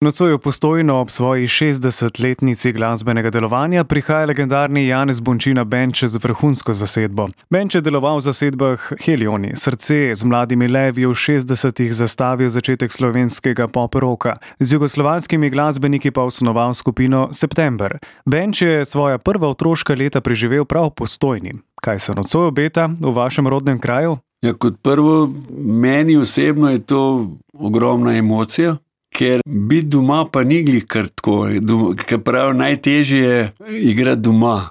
Nocoj v Postojno ob svoji 60-letnici glasbenega delovanja prihaja legendarni Janez Bončina bend z vrhunsko zasedbo. Bend je deloval v zasedbah Helioni, Srce, z Mladimi levi v 60-ih zastavil začetek slovenskega pop rocka, z jugoslovanskimi glasbeniki pa osnoval skupino September. Bend je svoja prva otroška leta preživel prav v Postojni. Kaj se nocoj obeta v vašem rodnem kraju? Ja, kot prvo, meni osebno je to ogromna emocija. Ker biti doma pa ni glih kar tako, ker pravi, najtežje je igrati doma.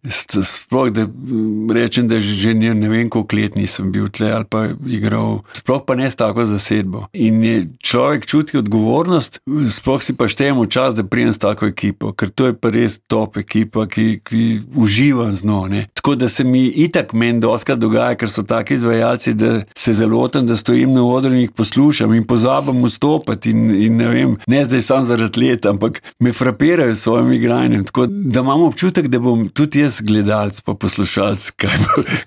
Sploh, da rečem, da že ne vem, koliko let nisem bil tle ali pa igral, sploh pa ne s tako zasedbo. In je človek čuti odgovornost, sploh si pa štejemo čas, da prijem s tako ekipo, ker to je pa res top ekipa, ki uživam z njo. Tako da se mi itak meni doskrat dogaja, ker so taki izvajalci, da se zalotim, da stojim na odru in jih poslušam in pozabim vstopati in ne vem, ne zdaj sam zaradi let, ampak me frapirajo s svojim igranjem, tako da imam občutek, da bom tudi jaz gledalec pa poslušalec,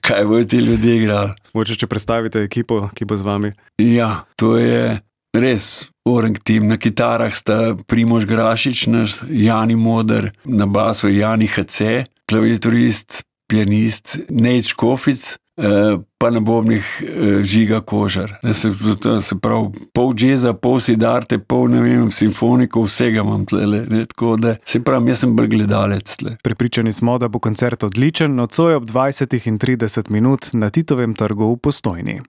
kaj bojo ti ljudje igrali. Mogoče, če predstavite ekipo, ki bo z vami. Ja, to je res orang tim. Na kitarah sta Primož Grašič, naš Jani Moder, na basu Jani HC, klaviaturist, pianist Nejc Škofic, pa na bobnih Žiga Kožar. Se pravi, pol džeza, pol sidarte, pol, ne vem, simfoniko, vsega imam tlele. Tako da, se pravi, jaz sem bolj gledalec tle. Prepričani smo, da bo koncert odličen, nocoj ob 20:30 na Titovem trgu v Postojni.